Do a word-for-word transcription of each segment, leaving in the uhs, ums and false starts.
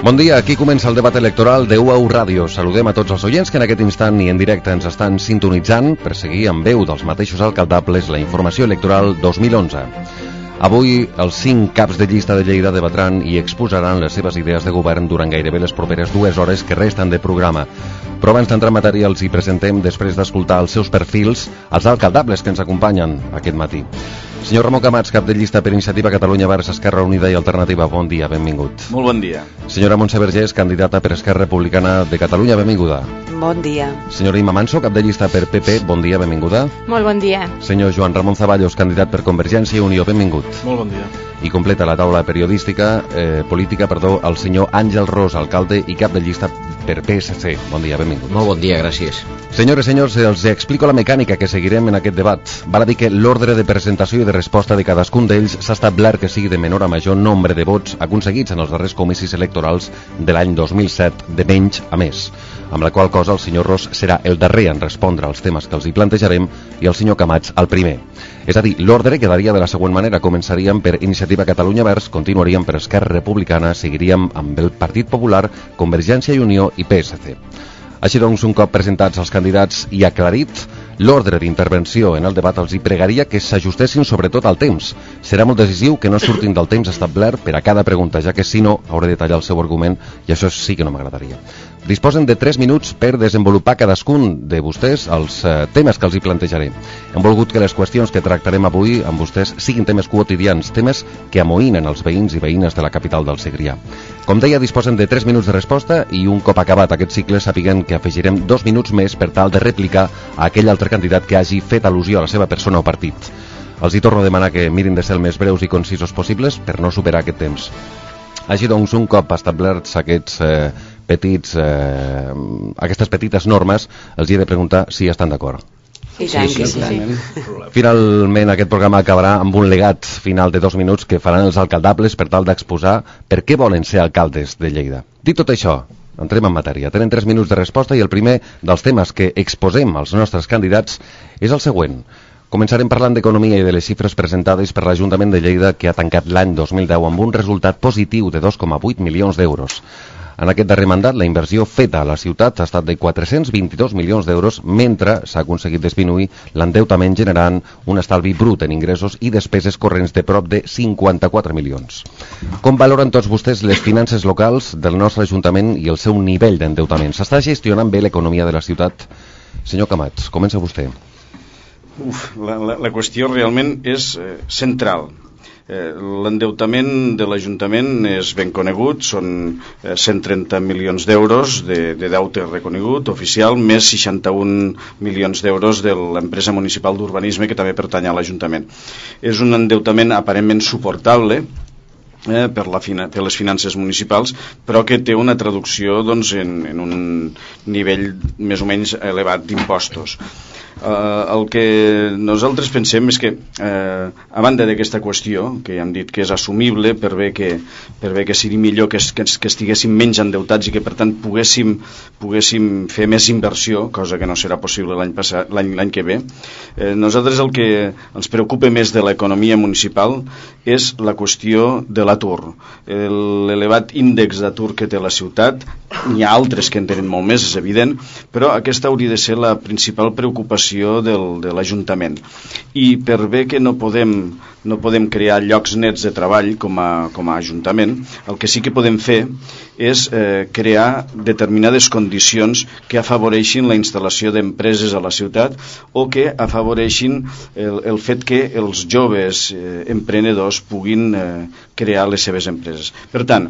Bon dia, aquí comença el debat electoral de U A U Ràdio. Saludem a tots els oients que en aquest instant i en directe ens estan sintonitzant per seguir amb veu dels mateixos alcaldables la informació electoral dos mil onze. Avui els cinc caps de llista de Lleida debatran i exposaran les seves idees de govern durant gairebé les properes dues hores que resten de programa. Però abans d'entrar en matèria els hi presentem, després d'escoltar els seus perfils, els alcaldables que ens acompanyen aquest matí. Senyor Ramon Camats, cap de llista per Iniciativa Catalunya Verds Esquerra Unida i Alternativa, bon dia, benvingut. Molt bon dia. Senyora Montse Vergés, candidata per Esquerra Republicana de Catalunya, benvinguda. Bon dia. Senyora Imma Manso, cap de llista per P P, bon dia, benvinguda. Molt bon dia. Senyor Joan Ramon Zaballos, candidat per Convergència i Unió, benvingut. Molt bon dia. I completa la taula periodística, eh, política, perdó, el senyor Àngel Ros, alcalde i cap de llista per P S C. Bon dia, benvingut. Molt bon dia, gràcies. Senyores i senyors, els explico la mecànica que seguirem en aquest debat. Val a dir que l'ordre de presentació i de resposta de cadascun d'ells s'ha establert que sigui de menor a major nombre de vots aconseguits en els darrers comicis electorals de l'any dos mil set, de menys a més. Amb la qual cosa el senyor Ros serà el darrer en respondre als temes que els hi plantejarem i el senyor Camats el primer. És a dir, l'ordre quedaria de la següent manera. Començaríem per Iniciativa Catalunya Verds, continuaríem per Esquerra Republicana, seguiríem amb el Partit Popular, Convergència i Unió i P S C. Així doncs, un cop presentats els candidats i aclarit l'ordre d'intervenció en el debat, els hi pregaria que s'ajustessin sobretot al temps. Serà molt decisiu que no surtin del temps establert per a cada pregunta, ja que si no hauré de tallar el seu argument i això sí que no m'agradaria. Disposen de tres minuts per desenvolupar cadascun de vostès els eh, temes que els hi plantejaré. Hem volgut que les qüestions que tractarem avui amb vostès siguin temes quotidians, temes que amoïnen els veïns i veïnes de la capital del Segrià. Com deia, disposen de tres minuts de resposta i un cop acabat aquest cicle sapiguen que afegirem dos minuts més per tal de replicar a aquell altre candidat que hagi fet al·lusió a la seva persona o partit. Els hi torno a demanar que mirin de ser el més breus i concisos possibles per no superar aquest temps. Així doncs, un cop establerts aquests eh, petits, eh, aquestes petites normes, els hi he de preguntar si estan d'acord. I tant que sí. Finalment, aquest programa acabarà amb un legat final de dos minuts que faran els alcaldables per tal d'exposar per què volen ser alcaldes de Lleida. Dit tot això, entrem en matèria. Tenen tres minuts de resposta i el primer dels temes que exposem als nostres candidats és el següent. Començarem parlant d'economia i de les xifres presentades per l'Ajuntament de Lleida, que ha tancat l'any dos mil deu amb un resultat positiu de dos coma vuit milions d'euros. En aquest darrer mandat, la inversió feta a la ciutat ha estat de quatre-cents vint-i-dos milions d'euros, mentre s'ha aconseguit disminuir l'endeutament generant un estalvi brut en ingressos i despeses corrents de prop de cinquanta-quatre milions. Com valoren tots vostès les finances locals del nostre Ajuntament i el seu nivell d'endeutament? S'està gestionant bé l'economia de la ciutat? Senyor Camats, comença vostè. Uf, la, la, la qüestió realment és eh, central. Eh, l'endeutament de l'Ajuntament és ben conegut, són eh, cent trenta milions d'euros de, de deute reconegut oficial, més seixanta-un milions d'euros de l'empresa municipal d'urbanisme que també pertany a l'Ajuntament. És un endeutament aparentment suportable Eh, per, la fina, per les finances municipals, però que té una traducció doncs, en, en un nivell més o menys elevat d'impostos. Eh, el que nosaltres pensem és que eh, a banda d'aquesta qüestió, que ja hem dit que és assumible per bé que, per bé que sigui millor que, que, que estiguéssim menys endeutats i que per tant poguéssim, poguéssim fer més inversió, cosa que no serà possible l'any passat, l'any, l'any que ve, eh, nosaltres el que ens preocupa més de l'economia municipal és la qüestió de la l'atur, l'elevat índex d'atur que té la ciutat. N'hi ha altres que en tenen molt més, és evident, però aquesta hauria de ser la principal preocupació del, de l'Ajuntament. I per bé que no podem, no podem crear llocs nets de treball com a, com a Ajuntament, el que sí que podem fer és eh, crear determinades condicions que afavoreixin la instal·lació d'empreses a la ciutat o que afavoreixin el, el fet que els joves eh, emprenedors puguin eh, crear les seves empreses. Per tant,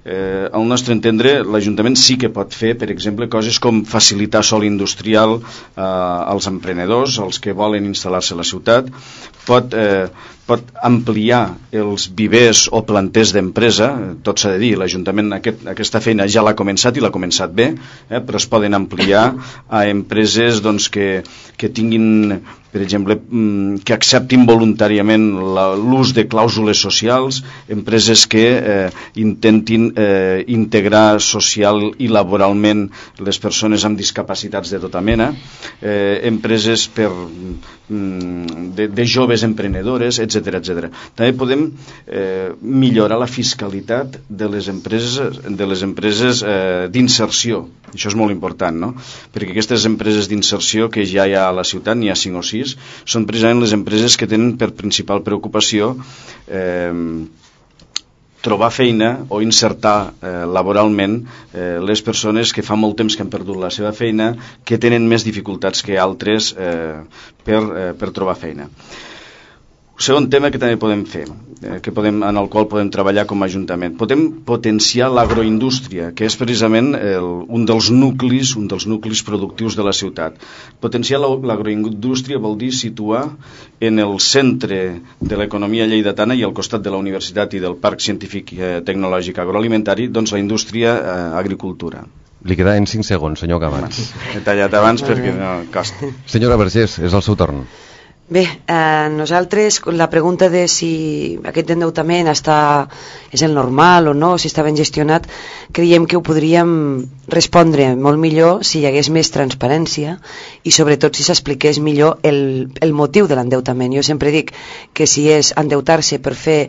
eh, al nostre entendre, l'Ajuntament sí que pot fer, per exemple, coses com facilitar sòl industrial eh, als emprenedors, als que volen instal·lar-se a la ciutat, pot, eh, pot ampliar els vivers o planters d'empresa, tot s'ha de dir, l'Ajuntament aquest, aquesta feina ja l'ha començat i l'ha començat bé, eh, però es poden ampliar a empreses doncs, que, que tinguin per exemple, que acceptin voluntàriament l'ús de clàusules socials, empreses que eh, intentin eh, integrar social i laboralment les persones amb discapacitats de tota mena, eh, empreses per, de, de joves emprenedores, etcètera, etcètera. També podem eh, millorar la fiscalitat de les empreses, de les empreses eh, d'inserció. Això és molt important, no? Perquè aquestes empreses d'inserció que ja hi ha a la ciutat, n'hi ha cinc o sis, són precisament les empreses que tenen per principal preocupació eh, trobar feina o insertar eh, laboralment eh, les persones que fa molt temps que han perdut la seva feina, que tenen més dificultats que altres eh, per, eh, per trobar feina. Segon tema que també podem fer, eh, que podem, en el qual podem treballar com a Ajuntament. Podem potenciar l'agroindústria, que és precisament el, un dels nuclis, un dels nuclis productius de la ciutat. Potenciar l'agroindústria vol dir situar en el centre de l'economia lleidatana i al costat de la universitat i del Parc Científic eh, Tecnològic Agroalimentari, doncs la indústria eh, agricultura. Li queda en cinc segons, senyor Camats. He tallat abans perquè no costa. Senyora Vergés, és el seu torn. Bé, eh, nosaltres, la pregunta de si aquest endeutament està, és el normal o no, si està ben gestionat, creiem que ho podríem respondre molt millor si hi hagués més transparència i sobretot si s'expliqués millor el, el motiu de l'endeutament. Jo sempre dic que si és endeutar-se per fer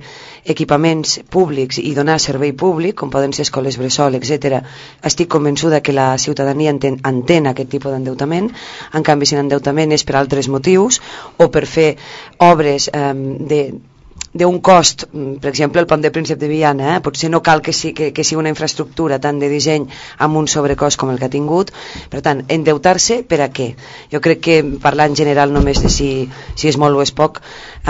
equipaments públics i donar servei públic, com poden ser escoles bressol, etcètera, estic convençuda que la ciutadania entén, entén aquest tipus d'endeutament. En canvi, si l'endeutament és per altres motius o per fer obres eh, de d'un cost, per exemple el pont de Príncep de Viana, eh? potser no cal que, sí, que, que sigui una infraestructura tant de disseny amb un sobrecost com el que ha tingut. Per tant, endeutar-se per a què? Jo crec que parlar en general només de si, si és molt o és poc,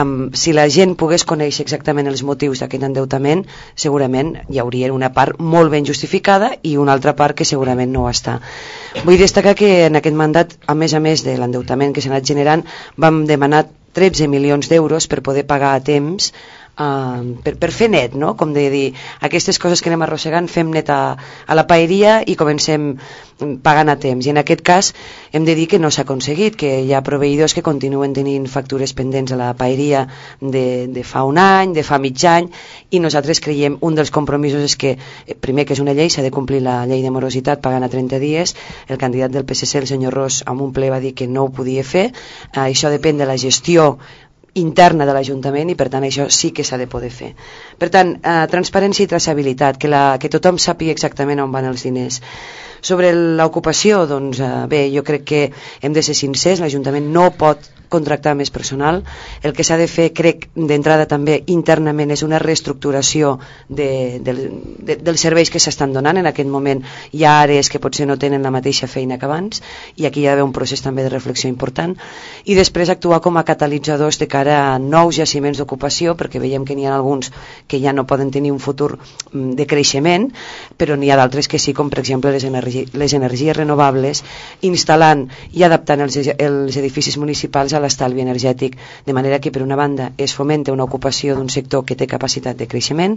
um, si la gent pogués conèixer exactament els motius d'aquest endeutament, segurament hi hauria una part molt ben justificada i una altra part que segurament no ho està. Vull destacar que en aquest mandat, a més a més de l'endeutament que s'ha anat generant, vam demanar tretze milions d'euros per poder pagar a temps, uh, per, per fer net, no? Com de dir, aquestes coses que anem arrossegant fem net a, a la paeria i comencem pagant a temps. I en aquest cas hem de dir que no s'ha aconseguit, que hi ha proveïdors que continuen tenint factures pendents a la paeria de, de fa un any, de fa mig any, i nosaltres creiem un dels compromisos és que, primer que és una llei, s'ha de complir la llei de morositat pagant a trenta dies. El candidat del P S C, el senyor Ros, en un ple va dir que no ho podia fer. Uh, això depèn de la gestió interna de l'Ajuntament i per tant això sí que s'ha de poder fer. Per tant, eh, transparència i traçabilitat, que, la, que tothom sàpiga exactament on van els diners. Sobre l'ocupació, doncs eh, bé, jo crec que hem de ser sincers, l'Ajuntament no pot contractar més personal. El que s'ha de fer, crec, d'entrada també internament és una reestructuració de, de, de, dels serveis que s'estan donant. En aquest moment hi ha àrees que potser no tenen la mateixa feina que abans i aquí hi ha d'haver un procés també de reflexió important i després actuar com a catalitzadors de cara a nous jaciments d'ocupació, perquè veiem que n'hi ha alguns que ja no poden tenir un futur de creixement, però n'hi ha d'altres que sí, com per exemple les, energi les energies renovables, instal·lant i adaptant els, els edificis municipals a l'estalvi energètic, de manera que per una banda es fomenta una ocupació d'un sector que té capacitat de creixement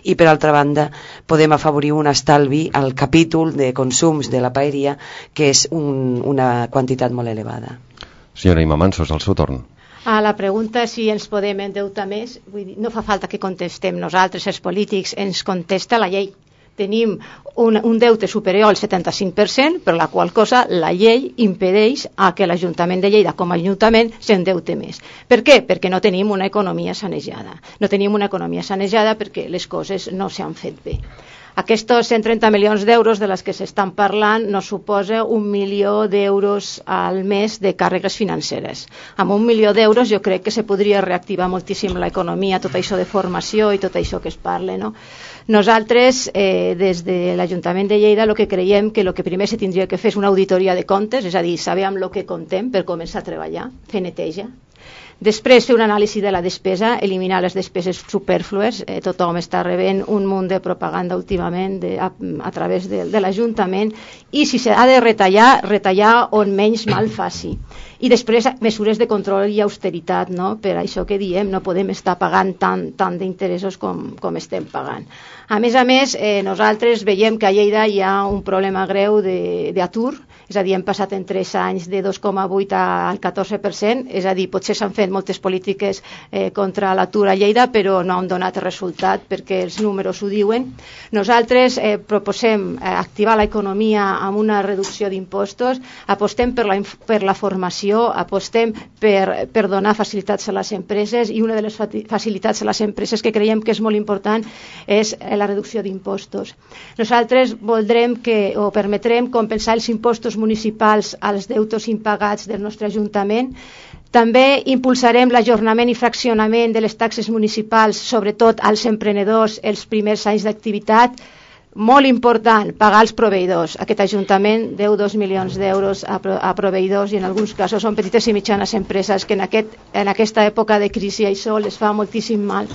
i per altra banda podem afavorir un estalvi al capítol de consums de la paeria, que és un, una quantitat molt elevada. Senyora Imma Mansos, el seu torn. A la pregunta si ens podem endeutar més, vull dir, no fa falta que contestem nosaltres, els polítics, ens contesta la llei. Tenim un, un deute superior al setanta-cinc per cent, per la qual cosa la llei impedeix a que l'Ajuntament de Lleida com a Ajuntament s'endeute més. Per què? Perquè no tenim una economia sanejada. No tenim una economia sanejada perquè les coses no s'han fet bé. Aquests cent trenta milions d'euros de les que s'estan parlant no suposa un milió d'euros al mes de càrregues financeres. Amb un milió d'euros jo crec que se podria reactivar moltíssim l'economia, tot això de formació i tot això que es parla, no? Nosaltres, eh, des de l'Ajuntament de Lleida, el que creiem que el que primer se tindria que fer és una auditoria de comptes, és a dir, saber amb el que comptem per començar a treballar, fer neteja. Després fer una anàlisi de la despesa, eliminar les despeses superflues. Eh, tothom està rebent un munt de propaganda últimament de, a, a través de, de l'Ajuntament i si s'ha de retallar, retallar on menys mal faci. I després mesures de control i austeritat, no? Per això que diem, no podem estar pagant tant, tant d'interessos com, com estem pagant. A més a més, eh, nosaltres veiem que a Lleida hi ha un problema greu d'atur. és a dir, hem passat en tres anys de dos coma vuit al catorze per cent, és a dir, potser s'han fet moltes polítiques eh, contra l'atur a Lleida, però no han donat resultat perquè els números ho diuen. Nosaltres eh, proposem eh, activar l'economia amb una reducció d'impostos, apostem per la, per la formació, apostem per, per donar facilitats a les empreses, i una de les facilitats a les empreses que creiem que és molt important és la reducció d'impostos. Nosaltres voldrem que, o permetrem compensar els impostos municipals als deutos impagats del nostre Ajuntament. També impulsarem l'ajornament i fraccionament de les taxes municipals, sobretot als emprenedors els primers anys d'activitat. Molt important, pagar els proveïdors. Aquest Ajuntament deu dos milions d'euros a, a proveïdors, i en alguns casos són petites i mitjanes empreses que en, aquest, en aquesta època de crisi això les fa moltíssim mal.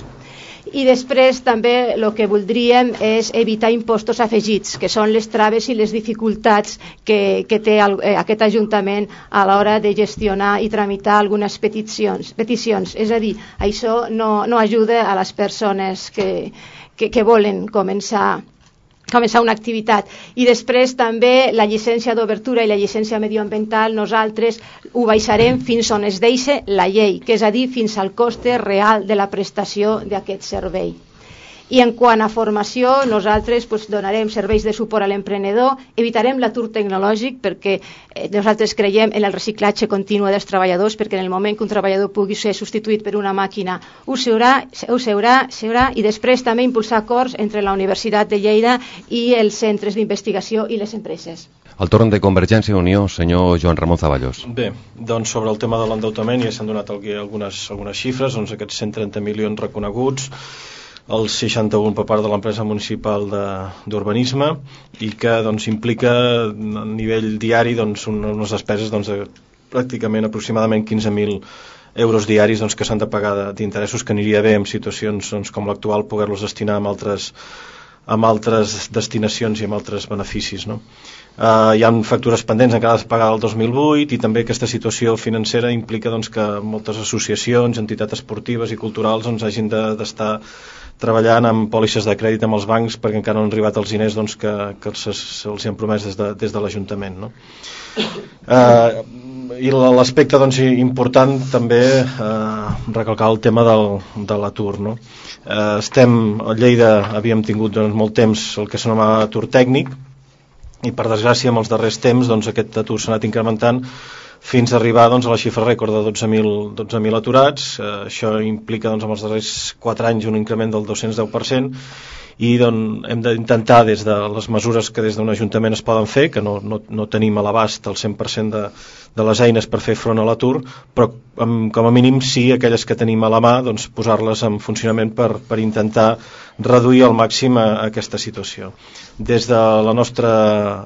I després també el que voldríem és evitar impostos afegits, que són les traves i les dificultats que, que té el, eh, aquest Ajuntament a l'hora de gestionar i tramitar algunes peticions. peticions. És a dir, això no, no ajuda a les persones que, que, que volen començar començar una activitat. I després també la llicència d'obertura i la llicència medioambiental nosaltres ho baixarem fins on es deixa la llei, que és a dir, fins al coste real de la prestació d'aquest servei. I en quant a formació, nosaltres pues, donarem serveis de suport a l'emprenedor, evitarem l'atur tecnològic perquè eh, nosaltres creiem en el reciclatge continu dels treballadors, perquè en el moment que un treballador pugui ser substituït per una màquina ho seurà, ho seurà, seurà, i després també impulsar acords entre la Universitat de Lleida i els centres d'investigació i les empreses. El torn de Convergència i Unió, senyor Joan Ramon Zaballos. Bé, doncs sobre el tema de l'endeutament ja s'han donat algunes, algunes xifres, doncs aquests cent trenta milions reconeguts, el seixanta-un per part de l'empresa municipal d'urbanisme, i que doncs, implica a nivell diari doncs, unes despeses doncs, de pràcticament aproximadament quinze mil euros diaris doncs, que s'han de pagar d'interessos, que aniria bé en situacions doncs, com l'actual poder-los destinar amb altres, amb altres destinacions i amb altres beneficis, no? Uh, hi ha factures pendents encara de pagar el dos mil vuit, i també aquesta situació financera implica doncs, que moltes associacions, entitats esportives i culturals doncs, hagin d'estar de, treballant amb pòlisses de crèdit amb els bancs perquè encara no han arribat els diners doncs, que, que se'ls se han promès des de, des de l'Ajuntament, no? Uh, I l'aspecte doncs, important també uh, recalcar el tema del, de l'atur, no? Uh, estem, a Lleida havíem tingut doncs, molt temps el que s'anomava atur tècnic, i per desgràcia en els darrers temps doncs, aquest atur s'ha anat incrementant fins a arribar doncs, a la xifra rècord de dotze mil aturats. Eh, això implica doncs, en els darrers quatre anys un increment del dos-cents deu per cent, i doncs, hem d'intentar des de les mesures que des d'un ajuntament es poden fer, que no, no, no tenim a l'abast el cent per cent de, de les eines per fer front a l'atur, però amb, com a mínim sí aquelles que tenim a la mà doncs, posar-les en funcionament per, per intentar reduir al màxim a, a aquesta situació. Des de la nostra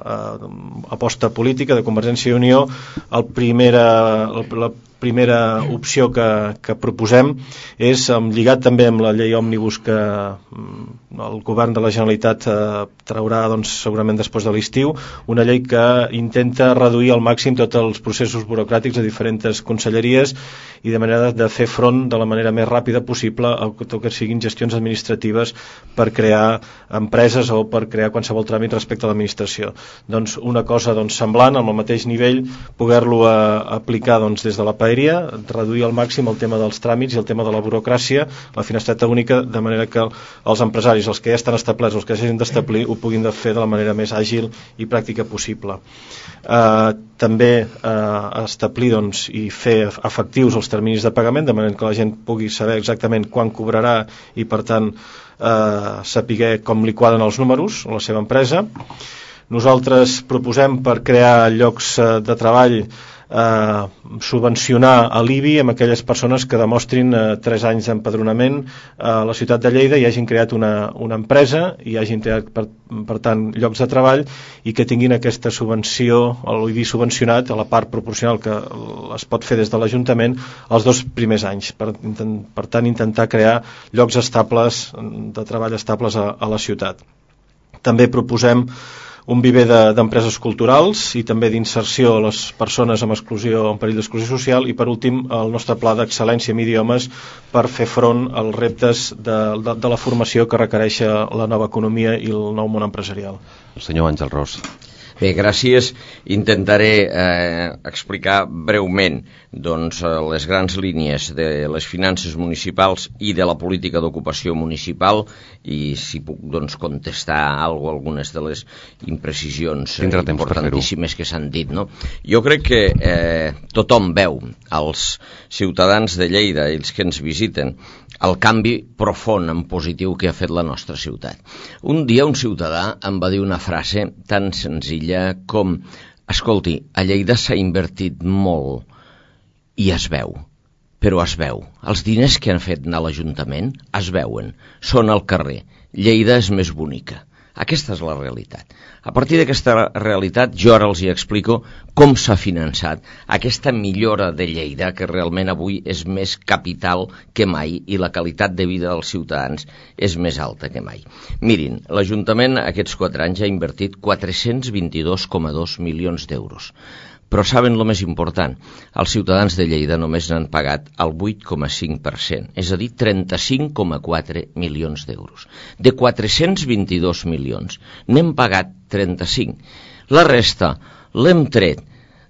eh, aposta política de Convergència i Unió, el primera, el, la primera opció que, que proposem és, lligat també amb la llei òmnibus que el govern de la Generalitat eh, traurà doncs, segurament després de l'estiu, una llei que intenta reduir al màxim tots els processos burocràtics de diferents conselleries i de manera de fer front de la manera més ràpida possible a tot que siguin gestions administratives per crear empreses o per crear qualsevol tràmit respecte a l'administració. Doncs una cosa doncs, semblant, amb el mateix nivell, poder-lo aplicar doncs, des de la paeria, reduir al màxim el tema dels tràmits i el tema de la burocràcia, la finestreta única, de manera que els empresaris, els que ja estan establerts, els que hagin d'establir, ho puguin fer de la manera més àgil i pràctica possible. Eh, també eh, establir doncs, i fer efectius els terminis de pagament, de manera que la gent pugui saber exactament quan cobrarà i per tant eh, saber com li quadren els números a la seva empresa. Nosaltres proposem per crear llocs eh, de treball eh, subvencionar a l'I B I amb aquelles persones que demostrin eh, tres anys d'empadronament a la ciutat de Lleida i hagin creat una, una empresa i hagin creat per, per tant llocs de treball i que tinguin aquesta subvenció, l'I B I subvencionat a la part proporcional que es pot fer des de l'Ajuntament els dos primers anys, per, per tant intentar crear llocs estables de treball estables a, a la ciutat. També proposem un viver d'empreses de, culturals i també d'inserció a les persones amb exclusió, en perill d'exclusió social, i per últim el nostre pla d'excel·lència en idiomes per fer front als reptes de, de, de la formació que requereix la nova economia i el nou món empresarial. El senyor Àngel Ros. Bé, gràcies. Intentaré eh, explicar breument doncs, les grans línies de les finances municipals i de la política d'ocupació municipal i si puc doncs, contestar alguna, algunes de les imprecisions eh, importantíssimes que s'han dit. No? Jo crec que eh, tothom veu, els ciutadans de Lleida, els que ens visiten, el canvi profund en positiu que ha fet la nostra ciutat. Un dia un ciutadà em va dir una frase tan senzilla com: escolti, a Lleida s'ha invertit molt i es veu, però es veu. Els diners que han fet anar a l'Ajuntament es veuen, són al carrer. Lleida és més bonica. Aquesta és la realitat. A partir d'aquesta realitat jo ara els hi explico com s'ha finançat aquesta millora de Lleida, que realment avui és més capital que mai i la qualitat de vida dels ciutadans és més alta que mai. Mirin, l'Ajuntament aquests quatre anys ha invertit quatre-cents vint-i-dos coma dos milions d'euros. Però saben el més important? Els ciutadans de Lleida només n'han pagat el vuit coma cinc per cent, és a dir, trenta-cinc coma quatre milions d'euros. De quatre-cents vint-i-dos milions, n'hem pagat trenta-cinc. La resta l'hem tret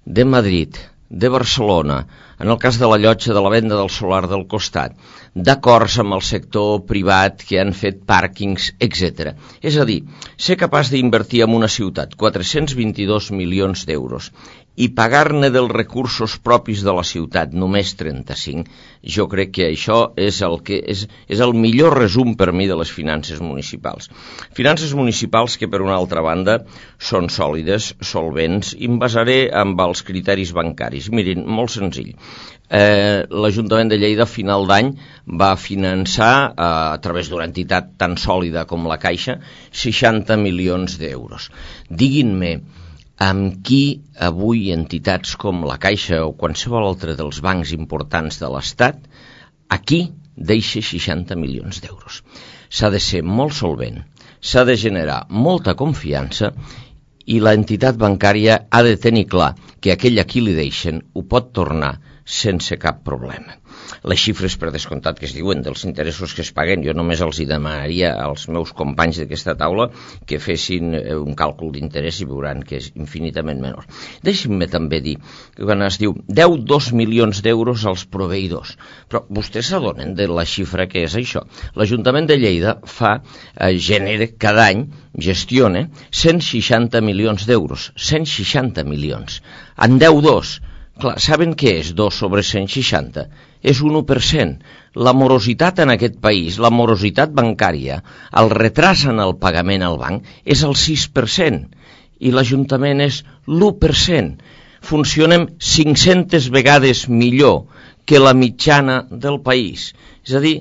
de Madrid, de Barcelona, en el cas de la llotja de la venda del solar del costat, d'acords amb el sector privat que han fet pàrquings, etcètera. És a dir, ser capaç d'invertir en una ciutat quatre-cents vint-i-dos milions d'euros i pagar-ne dels recursos propis de la ciutat només trenta-cinc, jo crec que això és el, que és, és el millor resum per mi de les finances municipals. Finances municipals que, per una altra banda, són sòlides, solvents, i em basaré amb els criteris bancaris. Mirin, molt senzill. Eh, l'Ajuntament de Lleida a final d'any va finançar eh, a través d'una entitat tan sòlida com la Caixa seixanta milions d'euros. Diguin-me amb qui avui entitats com la Caixa o qualsevol altre dels bancs importants de l'Estat aquí deixa seixanta milions d'euros. S'ha de ser molt solvent, s'ha de generar molta confiança i l'entitat bancària ha de tenir clar que aquell a qui li deixen ho pot tornar sense cap problema. Les xifres per descomptat que es diuen dels interessos que es paguen, jo només els hi demanaria als meus companys d'aquesta taula que fessin un càlcul d'interès i veuran que és infinitament menor. Deixin-me també dir que quan es diu deu coma dos milions d'euros als proveïdors, però vostès s'adonen de la xifra que és això. L'Ajuntament de Lleida fa, eh, genera cada any, gestiona cent seixanta milions d'euros, cent seixanta milions. En deu coma dos, clar, saben què és dos sobre cent seixanta? És un u per cent. La morositat en aquest país, la morositat bancària, el retras en el pagament al banc és el sis per cent i l'Ajuntament és l'u per cent. Funcionem cinc-centes vegades millor que la mitjana del país. És a dir,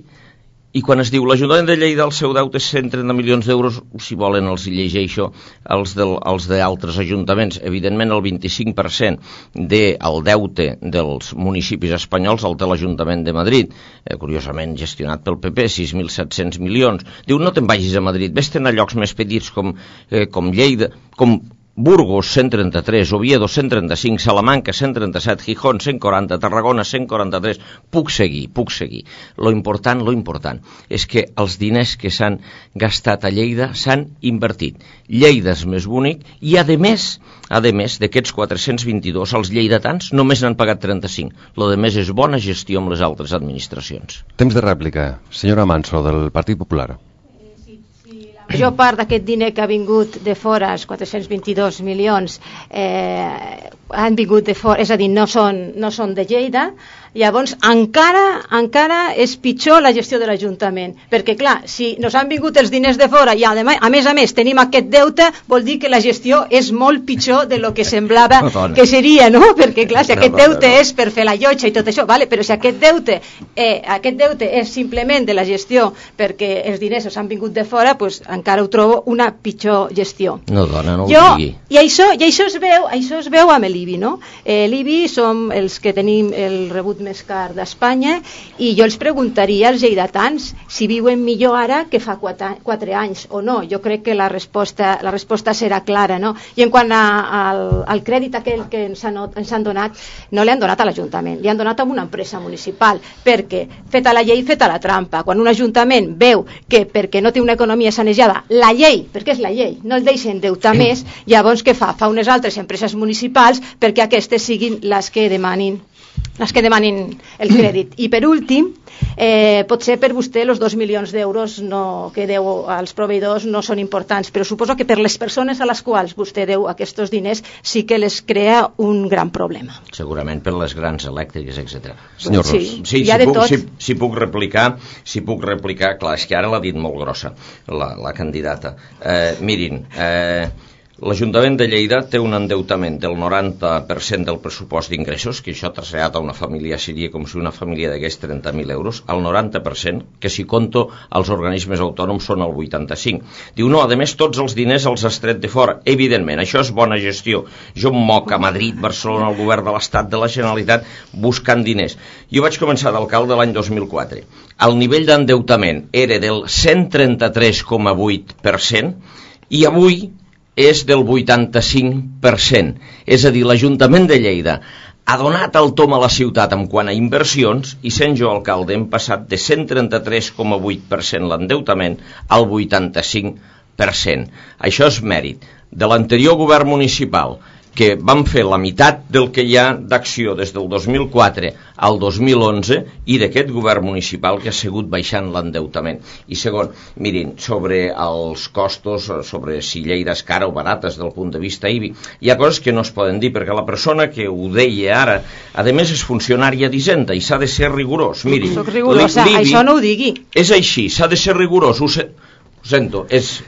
i quan es diu l'Ajuntament de Lleida el seu deute és cent trenta milions d'euros, si volen els llegeixo els, del, els d'altres ajuntaments. Evidentment el vint-i-cinc per cent del deute dels municipis espanyols el té l'Ajuntament de Madrid, eh, curiosament gestionat pel P P, sis mil set-cents milions. Diu, no te'n vagis a Madrid, vés-te'n a llocs més petits com, eh, com Lleida, com Burgos, cent trenta-tres, Oviedo, cent trenta-cinc, Salamanca, cent trenta-set, Gijón, cent quaranta, Tarragona, cent quaranta-tres. Puc seguir, puc seguir. Lo important, lo important, és que els diners que s'han gastat a Lleida s'han invertit. Lleida és més bonic i, a més, a més d'aquests quatre-cents vint-i-dos, els lleidatans només n'han pagat trenta-cinc. Lo de més és bona gestió amb les altres administracions. Temps de rèplica. Senyora Manso, del Partit Popular. La major part d'aquest diner que ha vingut de fora, els quatre-cents vint-i-dos milions, eh, han vingut de fora, és a dir, no són, no són de Lleida. Llavors, encara, encara és pitjor la gestió de l'Ajuntament, perquè, clar, si nos han vingut els diners de fora i, a més a més, tenim aquest deute, vol dir que la gestió és molt pitjor de lo que semblava no, que seria, no? Perquè, clar, si aquest deute no, no. és per fer la llotja i tot això, vale? Però si aquest deute, eh, aquest deute és simplement de la gestió perquè els diners els han vingut de fora, pues, encara ho trobo una pitjor gestió. No, dona, no ho jo, digui. I això, i això es veu, això es veu amb l'I B I, no? Eh, L'I B I som els que tenim el rebut més car d'Espanya, i jo els preguntaria als lleidatans si viuen millor ara que fa quatre, quatre anys o no. Jo crec que la resposta, la resposta serà clara, no? I en quant a, al, al crèdit aquell que ens han, ens han donat, no l'han donat a l'Ajuntament, li han donat a una empresa municipal, perquè feta la llei, feta la trampa. Quan un ajuntament veu que perquè no té una economia sanejada, la llei, perquè és la llei, no el deixa endeutar més, llavors què fa? Fa unes altres empreses municipals perquè aquestes siguin les que demanin les que demanin el crèdit. I per últim, eh, potser per vostè els dos milions d'euros no, que deu als proveïdors no són importants, però suposo que per les persones a les quals vostè deu aquests diners sí que les crea un gran problema. Segurament per les grans elèctriques, etcètera. Senyor Ros. Sí, sí, hi ha si de puc, tot. si, si puc replicar, si puc replicar, clar, és que ara l'ha dit molt grossa la, la candidata. Eh, mirin, eh, l'Ajuntament de Lleida té un endeutament del noranta per cent del pressupost d'ingressos, que això traslladat a una família seria com si una família degués trenta mil euros, al noranta per cent, que si conto els organismes autònoms són el vuitanta-cinc. Diu, no, a més tots els diners els has tret de fora. Evidentment, això és bona gestió. Jo em moc a Madrid, Barcelona, el govern de l'Estat, de la Generalitat, buscant diners. Jo vaig començar d'alcalde l'any dos mil quatre. El nivell d'endeutament era del cent trenta-tres coma vuit per cent i avui és del vuitanta-cinc per cent. És a dir, l'Ajuntament de Lleida ha donat el tom a la ciutat en quant a inversions i sent jo alcalde hem passat de cent trenta-tres coma vuit per cent l'endeutament al vuitanta-cinc per cent. Això és mèrit de l'anterior govern municipal, que vam fer la meitat del que hi ha d'acció des del dos mil quatre al dos mil onze i d'aquest govern municipal que ha sigut baixant l'endeutament. I segon, mirin, sobre els costos, sobre si Lleida és cara o barata des del punt de vista I B I, hi ha coses que no es poden dir, perquè la persona que ho deia ara, a més és funcionària d'Hisenda i s'ha de ser rigorós. Mirin, soc rigorosa, això no ho digui. És així, s'ha de ser rigorós, ho, se... ho sento, és...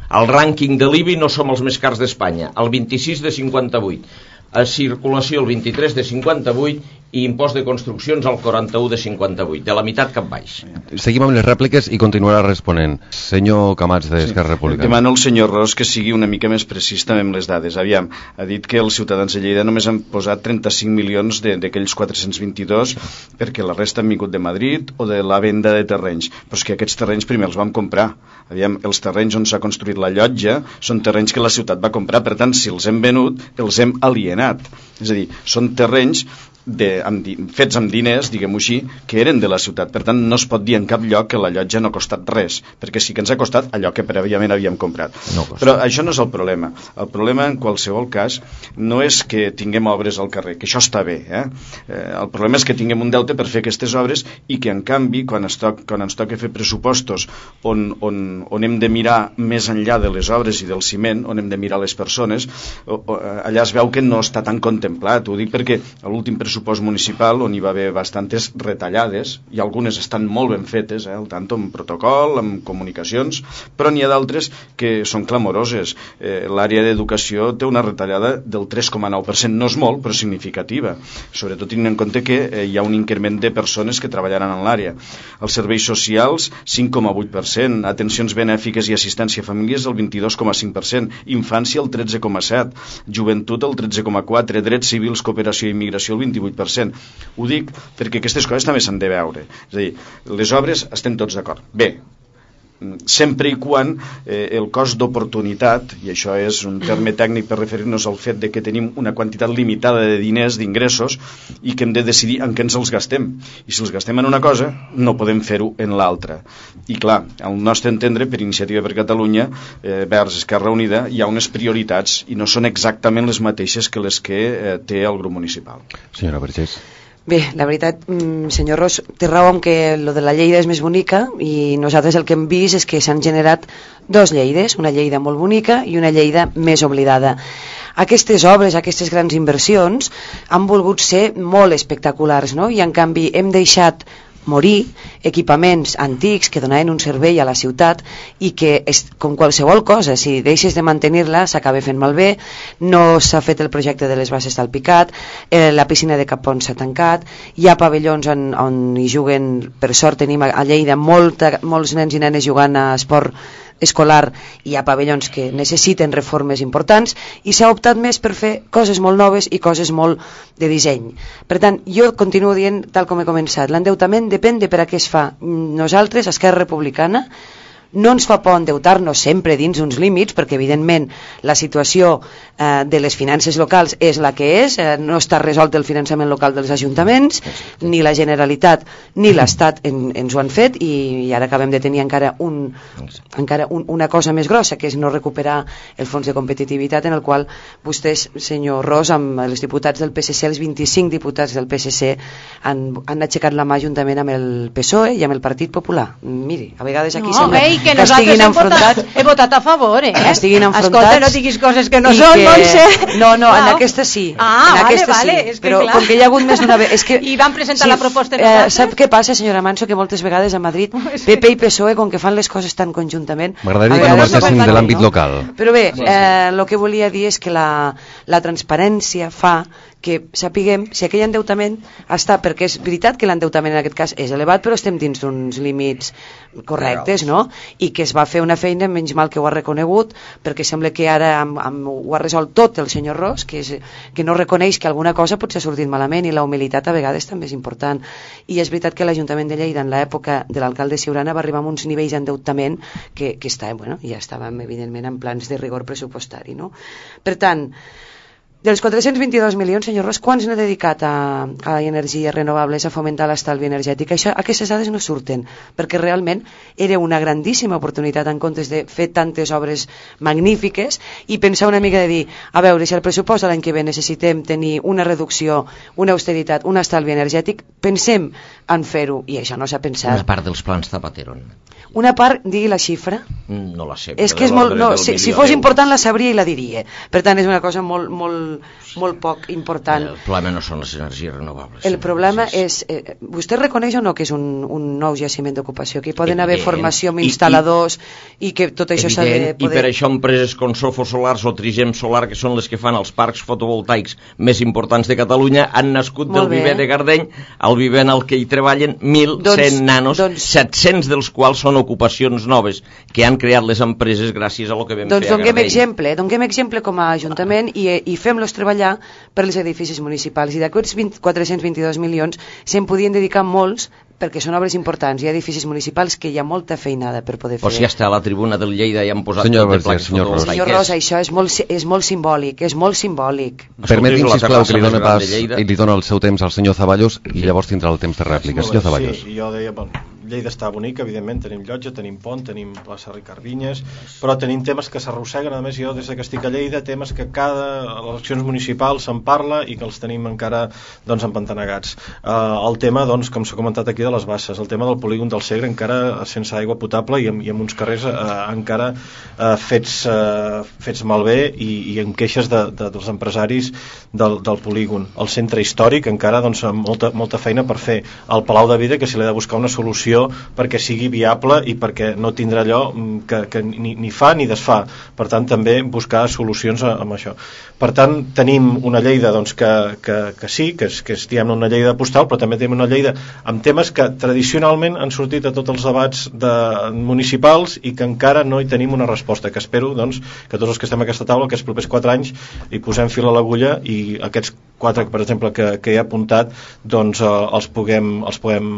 Al rànquing de l'I B I no som els més cars d'Espanya, el vint-i-sis de cinquanta-vuit, a circulació el vint-i-tres de cinquanta-vuit i impost de construccions al quaranta-u de cinquanta-vuit, de la meitat cap baix. Seguim amb les rèpliques i continuarà responent. Senyor Camats d'Esquerra Sí. Republicana. Demano al senyor Ros que sigui una mica més precís també amb les dades. Aviam, ha dit que els ciutadans de Lleida només han posat trenta-cinc milions d'aquells quatre-cents vint-i-dos perquè la resta han vingut de Madrid o de la venda de terrenys. Però és que aquests terrenys primer els vam comprar. Aviam, els terrenys on s'ha construït la llotja són terrenys que la ciutat va comprar, per tant, si els hem venut, els hem alienat. És a dir, són terrenys de, amb, fets amb diners, diguem-ho així, que eren de la ciutat. Per tant, no es pot dir en cap lloc que la llotja no ha costat res, perquè sí que ens ha costat allò que prèviament havíem comprat. No Però això no és el problema. El problema, en qualsevol cas, no és que tinguem obres al carrer, que això està bé. Eh? Eh, el problema és que tinguem un deute per fer aquestes obres i que, en canvi, quan, es toc, quan ens toca fer pressupostos on, on, on hem de mirar més enllà de les obres i del ciment, on hem de mirar les persones, o, o, allà es veu que no està tan contemplat. Ho dic perquè a l'últim pressupost municipal, on hi va haver bastantes retallades, i algunes estan molt ben fetes, eh, al tanto amb protocol, amb comunicacions, però n'hi ha d'altres que són clamoroses. Eh, l'àrea d'educació té una retallada del tres coma nou per cent, no és molt, però significativa, sobretot tenint en compte que eh, hi ha un increment de persones que treballaran en l'àrea. Els serveis socials, cinc coma vuit per cent, atencions benèfiques i assistència a famílies, el vint-i-dos coma cinc per cent, infància, el tretze coma set per cent, joventut, el tretze coma quatre per cent, drets civils, cooperació i immigració, el vint-i-vuit per cent. Ho dic perquè aquestes coses també s'han de veure. És a dir, les obres estem tots d'acord. Bé, sempre i quan eh, el cost d'oportunitat, i això és un terme tècnic per referir-nos al fet de que tenim una quantitat limitada de diners, d'ingressos, i que hem de decidir en què ens els gastem. I si els gastem en una cosa, no podem fer-ho en l'altra. I clar, al nostre entendre, per Iniciativa per Catalunya, eh, vers Esquerra Unida, hi ha unes prioritats i no són exactament les mateixes que les que eh, té el grup municipal. Senyora Vergés. Bé, la veritat, senyor Ros, té raó en que lo de la Lleida és més bonica i nosaltres el que hem vist és que s'han generat dos Lleides, una Lleida molt bonica i una Lleida més oblidada. Aquestes obres, aquestes grans inversions han volgut ser molt espectaculars, no? I en canvi hem deixat morir equipaments antics que donaven un servei a la ciutat i que, és, com qualsevol cosa, si deixes de mantenir-la s'acaba fent malbé. No s'ha fet el projecte de les bases del Picat, eh, la piscina de Capons s'ha tancat, hi ha pavellons on, on hi juguen, per sort tenim a Lleida molta, molts nens i nenes jugant a esport escolar hi ha pavellons que necessiten reformes importants i s'ha optat més per fer coses molt noves i coses molt de disseny. Per tant, jo continuo dient, tal com he començat, l'endeutament depèn de per a què es fa. Nosaltres, Esquerra Republicana, no ens fa por endeutar-nos sempre dins uns límits, perquè evidentment la situació eh, de les finances locals és la que és, eh, no està resolt el finançament local dels ajuntaments, ni la Generalitat ni l'Estat en, ens ho han fet, i, i ara acabem de tenir encara, un, encara un, una cosa més grossa, que és no recuperar el fons de competitivitat, en el qual vostès, senyor Ros, amb els diputats del P S C, els vint-i-cinc diputats del P S C han, han aixecat la mà juntament amb el P S O E i amb el Partit Popular. Miri, a vegades aquí no, sembla hey, que, que estiguin enfrontats. He votat a favor, eh? Que estiguin enfrontats. Escolta, no diguis coses que no són, que... Montse. No, no, ah, en aquesta sí. Ah, en vale, aquesta vale. Sí. És que, però clar. com que hi ha hagut més d'una vegada... És que, I van presentar sí, la proposta de eh, nosaltres. Sap què passa, senyora Manso? Que moltes vegades a Madrid P P i P S O E, com que fan les coses tan conjuntament... M'agradaria que no marxessin de l'àmbit local. Però bé, eh, el que volia dir és que la, la transparència fa que sapiguem si aquell endeutament està, perquè és veritat que l'endeutament en aquest cas és elevat, però estem dins d'uns límits correctes, no? I que es va fer una feina, menys mal que ho ha reconegut, perquè sembla que ara amb, amb, ho ha resolt tot el senyor Ros, que, és, que no reconeix que alguna cosa potser ha sortit malament, i la humilitat a vegades també és important. I és veritat que l'Ajuntament de Lleida en l'època de l'alcalde Ciurana va arribar a uns nivells d'endeutament que, que està, bueno, ja estàvem evidentment en plans de rigor pressupostari, no? Per tant, dels quatre-cents vint-i-dos milions, senyor Ros, quants n'ha dedicat a, a energies renovables, a fomentar l'estalvi energètic? Això, aquestes dades no surten, perquè realment era una grandíssima oportunitat en comptes de fer tantes obres magnífiques i pensar una mica de dir, a veure, si el pressupost de l'any que ve necessitem tenir una reducció, una austeritat, un estalvi energètic, pensem en fer-ho, i això no s'ha pensat. Una part dels plans Zapatero. Una part, digui la xifra. No la sé. És que és molt, no, si, si fos important la sabria i la diria. Per tant, és una cosa molt, molt, molt poc important. El problema no són les energies renovables. El problema és, eh, vostè reconeix o no que és un, un nou jaciment d'ocupació, que hi poden haver formació amb instal·ladors i, i que tot això s'ha de poder... I per això empreses com Sofo Solars o Trigem Solar, que són les que fan els parcs fotovoltaics més importants de Catalunya, han nascut del viver de Gardeny, el viver en el que hi treballen mil cent doncs, nanos, doncs, set-cents dels quals són ocupacions noves que han creat les empreses gràcies a lo que vam doncs fer a Gardeny. Doncs exemple, donguem exemple com a Ajuntament i, i fem-los treballar per als edificis municipals, i d'aquests quatre-cents vint-i-dos milions se'n podien dedicar molts perquè són obres importants. Hi ha edificis municipals que hi ha molta feinada per poder fer. O si està a la tribuna del Lleida i han posat senyor tot de plaques senyor fotovoltaiques. Senyor Ros, això és molt, és molt simbòlic, és molt simbòlic. Permeti'm, sisplau, que li doni pas i li dona el seu temps al senyor Zaballos i llavors tindrà el temps de rèplica. Senyor Zaballos. Sí, jo deia, bon, Lleida està bonica, evidentment, tenim llotja, tenim pont, tenim plaça Ricard Vinyes, però tenim temes que s'arrosseguen, a més jo des que estic a Lleida, temes que cada a les eleccions municipals se'n parla i que els tenim encara doncs empantanegats. Uh, el tema, doncs, com s'ha comentat aquí, de les basses, el tema del polígon del Segre encara sense aigua potable i amb, i amb uns carrers uh, encara uh, fets, uh, fets malbé i, i amb queixes de, de, dels empresaris del, del polígon. El centre històric encara doncs, amb molta, molta feina per fer. El Palau de Vida, que s'hi ha de buscar una solució perquè sigui viable i perquè no tindrà allò que, que ni, ni fa ni desfà. Per tant, també buscar solucions amb això. Per tant, tenim una Lleida doncs, que, que, que sí, que és, que és diguem, una Lleida postal, però també tenim una Lleida amb temes que tradicionalment han sortit a tots els debats de, municipals i que encara no hi tenim una resposta, que espero doncs, que tots els que estem a aquesta taula, aquests propers quatre anys, hi posem fil a l'agulla i aquests quatre, per exemple, que, que he apuntat, doncs eh, els puguem, els puguem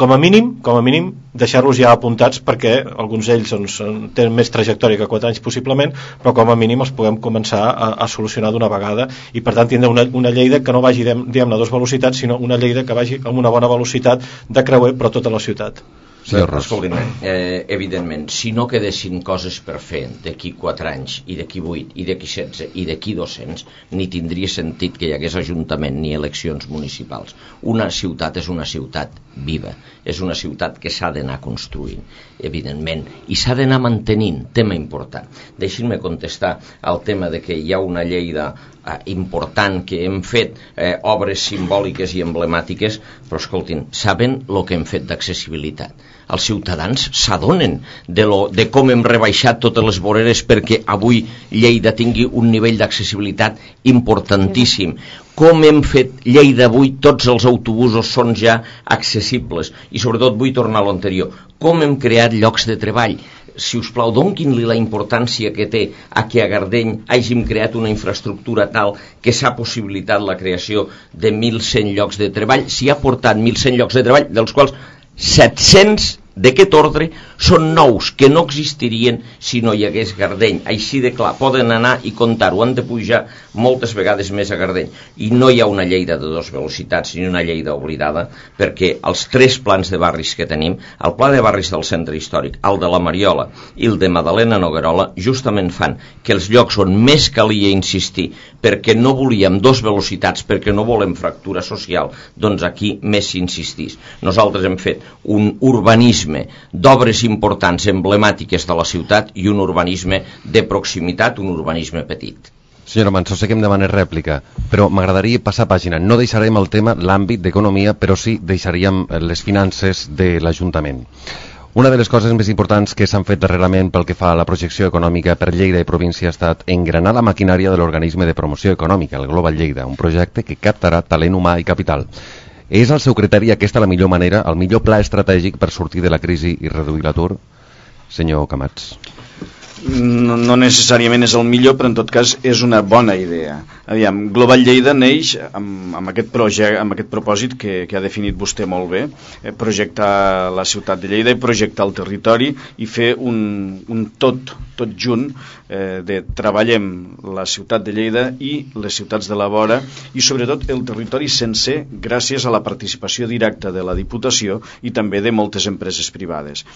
com a mínim, com a mínim deixar-los ja apuntats perquè alguns d'ells doncs, tenen més trajectòria que quatre anys possiblement, però com a mínim els puguem començar a, a solucionar d'una vegada i per tant tindre una, una Lleida que no vagi diguem-ne a dues velocitats, sinó una Lleida que vagi amb una bona velocitat de creuer per tota la ciutat. Escolti'm, eh, evidentment, si no quedessin coses per fer d'aquí quatre anys, i d'aquí vuit, i d'aquí setze, i d'aquí dos-cents, ni tindria sentit que hi hagués ajuntament ni eleccions municipals. Una ciutat és una ciutat viva, és una ciutat que s'ha d'anar construint, evidentment, i s'ha d'anar mantenint, tema important. Deixin-me contestar al tema de que hi ha una Lleida eh, important que hem fet eh, obres simbòliques i emblemàtiques, però escoltin, saben el que hem fet d'accessibilitat? Els ciutadans s'adonen de, lo, de com hem rebaixat totes les voreres perquè avui Lleida tingui un nivell d'accessibilitat importantíssim. Com hem fet Lleida avui, tots els autobusos són ja accessibles i sobretot vull tornar a l'anterior. Com hem creat llocs de treball. si us plau, donquin-li la importància que té a que a Gardeny hàgim creat una infraestructura tal que s'ha possibilitat la creació de mil cent llocs de treball. S'hi ha portat mil cent llocs de treball, dels quals set-cents d'aquest ordre són nous, que no existirien si no hi hagués Gardeny. Així de clar, poden anar i comptar-ho, han de pujar moltes vegades més a Gardeny. I no hi ha una Lleida de dues velocitats ni una Lleida oblidada, perquè els tres plans de barris que tenim, el pla de barris del centre històric, el de la Mariola i el de Madalena Noguerola, justament fan que els llocs on més calia insistir, perquè no volíem dos velocitats, perquè no volem fractura social, doncs aquí més s'insistís. Nosaltres hem fet un urbanisme d'obres importants, emblemàtiques de la ciutat, i un urbanisme de proximitat, un urbanisme petit. Senyora Manso, sé que em demana rèplica, però m'agradaria passar pàgina. No deixarem el tema, l'àmbit d'economia, però sí deixaríem les finances de l'Ajuntament. Una de les coses més importants que s'han fet darrerament pel que fa a la projecció econòmica per Lleida i província ha estat engranar la maquinària de l'organisme de promoció econòmica, el Global Lleida, un projecte que captarà talent humà i capital. És al seu criteri aquesta la millor manera, el millor pla estratègic per sortir de la crisi i reduir l'atur? Senyor Camats. No, no necessàriament és el millor, però en tot cas és una bona idea. Aviam, Global Lleida neix amb, amb, aquest, projecte, amb aquest propòsit que, que ha definit vostè molt bé, eh, projectar la ciutat de Lleida i projectar el territori i fer un, un tot, tot junt eh, de treballem la ciutat de Lleida i les ciutats de la vora i sobretot el territori sencer gràcies a la participació directa de la Diputació i també de moltes empreses privades.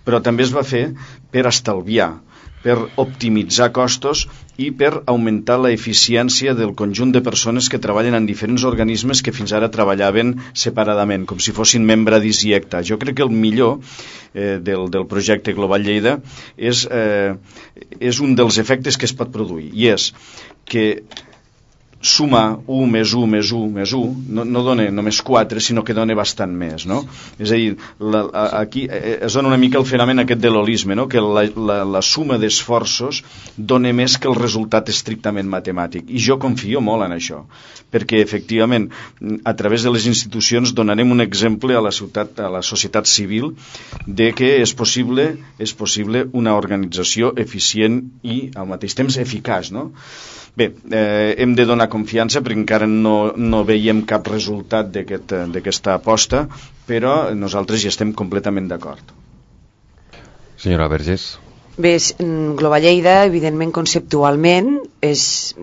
Però també es va fer per estalviar, per optimitzar costos i per augmentar la eficiència del conjunt de persones que treballen en diferents organismes que fins ara treballaven separadament, com si fossin membradis i acta. Jo crec que el millor eh, del, del projecte Global Lleida és, eh, és un dels efectes que es pot produir, i és que sumar u més u més u més u no, no dona només quatre, sinó que dona bastant més, no? És a dir, la, a, aquí es dona una mica el fenomen aquest de l'holisme, no? Que la, la, la suma d'esforços dona més que el resultat estrictament matemàtic, i jo confio molt en això, perquè efectivament a través de les institucions donarem un exemple a la ciutat, a la societat civil, de que és possible, és possible una organització eficient i al mateix temps eficaç, no? Bé, eh, hem de donar confiança perquè encara no, no veiem cap resultat d'aquesta aquest, aposta, però nosaltres hi estem completament d'acord. Senyora Vergés. Bé, Global Lleida, evidentment, conceptualment, és,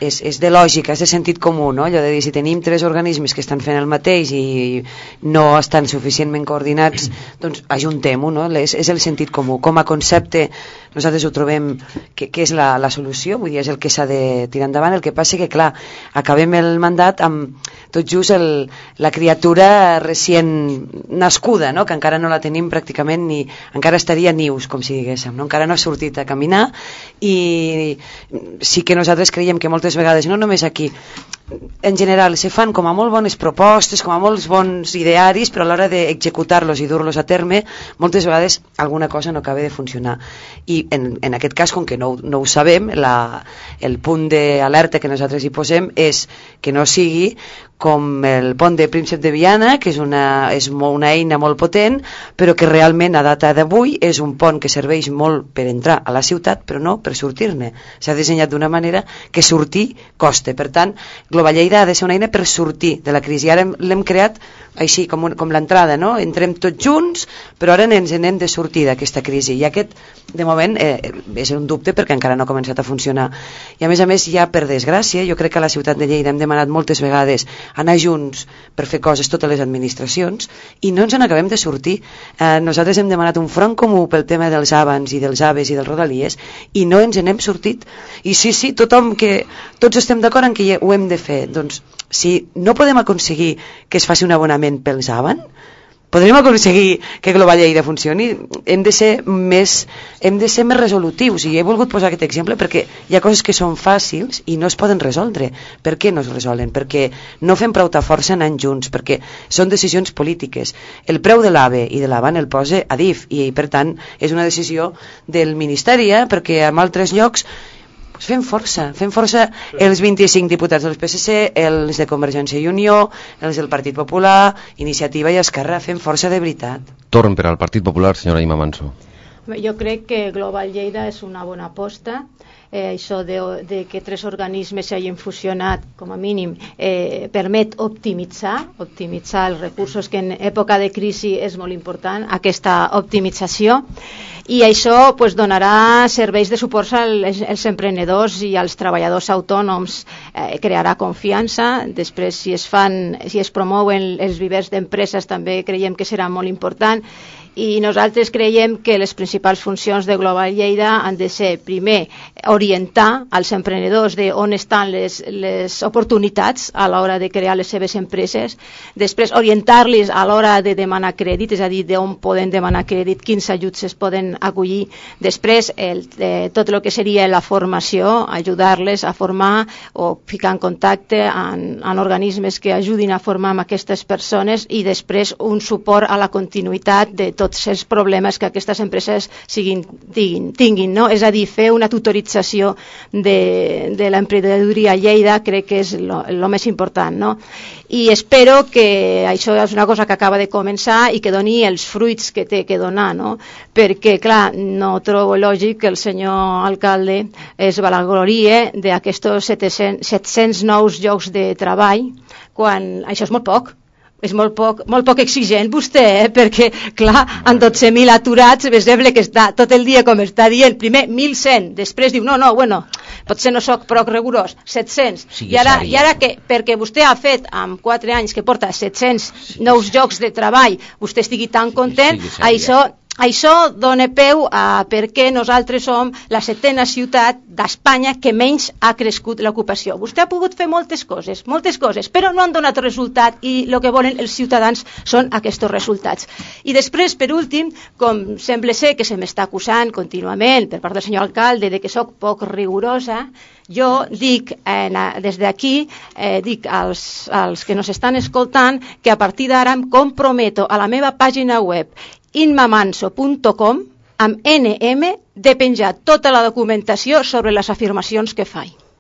és, és de lògica, és de sentit comú, no? Allò de dir, si tenim tres organismes que estan fent el mateix i no estan suficientment coordinats, doncs ajuntem-ho, no? És, és el sentit comú. Com a concepte, nosaltres ho trobem que, que és la, la solució, vull dir, és el que s'ha de tirar endavant. El que passa que, clar, acabem el mandat amb tot just el, la criatura recient nascuda, no? Que encara no la tenim pràcticament ni... encara estaria nius, com si diguéssim, no? Encara no ha sortit a caminar, i sí que nosaltres creiem que moltes vegades, no només aquí, en general se fan com a molt bones propostes, com a molts bons idearis, però a l'hora d'executar-los i dur-los a terme, moltes vegades alguna cosa no acaba de funcionar. I en, en aquest cas, com que no, no ho sabem, la, el punt d'alerta que nosaltres hi posem és que no sigui com el pont de Príncep de Viana, que és una, és una eina molt potent, però que realment a data d'avui és un pont que serveix molt per entrar a la ciutat, però no per sortir-ne. S'ha dissenyat d'una manera que sortir costa. Per tant, Global Lleida ha de ser una eina per sortir de la crisi. Ara l'hem creat així, com, un, com l'entrada, no? Entrem tots junts, però ara ens n'hem de sortir d'aquesta crisi. I aquest, de moment, eh, és un dubte perquè encara no ha començat a funcionar. I a més a més, ja per desgràcia, jo crec que a la ciutat de Lleida hem demanat moltes vegades anar junts per fer coses totes les administracions i no ens n'acabem de sortir. Eh, nosaltres hem demanat un front comú pel tema dels avans i dels aves i dels rodalies i no ens n'hem sortit. I sí, sí, tothom que... tots estem d'acord en que ho hem de fer. Doncs, si no podem aconseguir que es faci un abonament pels avan, podrem aconseguir que Global Lleida funcioni. Hem de ser més, hem de ser més resolutius, i he volgut posar aquest exemple perquè hi ha coses que són fàcils i no es poden resoldre. Per què no es resolen? Perquè no fem prou força anant junts, perquè són decisions polítiques. El preu de l'AVE i de l'AVAN el posa Adif, i per tant és una decisió del Ministeri, eh? Perquè en altres llocs pues fem força, fem força els vint-i-cinc diputats del P S C, els de Convergència i Unió, els del Partit Popular, Iniciativa i Esquerra, fem força de veritat. Torn per al Partit Popular, senyora Ima Manso. Jo crec que Global Lleida és una bona aposta. Eh, això de, de que tres organismes s'hagin fusionat, com a mínim, eh, permet optimitzar, optimitzar els recursos, que en època de crisi és molt important, aquesta optimització, i això pues, donarà serveis de suport als, als emprenedors i als treballadors autònoms, eh, crearà confiança. Després, si es fan, si es promouen els vivers d'empreses, també creiem que serà molt important. I nosaltres creiem que les principals funcions de Global Lleida han de ser, primer, orientar als emprenedors de on estan les, les oportunitats a l'hora de crear les seves empreses, després orientar-los a l'hora de demanar crèdit, és a dir, d'on poden demanar crèdit, quins ajuts es poden acollir, després el, eh, tot el que seria la formació, ajudar-les a formar o ficar en contacte amb, amb organismes que ajudin a formar amb aquestes persones, i després un suport a la continuïtat de tot tots els problemes que aquestes empreses siguin, tinguin, tinguin, no? És a dir, fer una tutorització de, de l'emprenedoria a Lleida crec que és el més important, no? I espero que això és una cosa que acaba de començar i que doni els fruits que té que donar, no? Perquè, clar, no trobo lògic que el senyor alcalde es vanaglorie d'aquests set-cents nous llocs de treball, quan això és molt poc. És molt poc, molt poc exigent vostè, eh? Perquè, clar, amb dotze mil aturats, és sembla que està tot el dia, com està dient, primer mil cent, després diu, no, no, bueno, potser no sóc prou rigorós, set-cents, sí, i ara, i ara que, perquè vostè ha fet, amb quatre anys que porta set-cents sí, nous sí. llocs de treball, vostè estigui tan content, sí, això... Això dona peu a per què nosaltres som la setena ciutat d'Espanya que menys ha crescut l'ocupació. Vostè ha pogut fer moltes coses, moltes coses, però no han donat resultat, i el que volen els ciutadans són aquests resultats. I després, per últim, com sembla ser que se m'està acusant contínuament per part del senyor alcalde de que sóc poc rigorosa, jo dic eh, des d'aquí, eh, dic als, als que nos estan escoltant que a partir d'ara em comprometo a la meva pàgina web inmamanso punt com amb N M de penjar tota la documentació sobre les afirmacions que faig.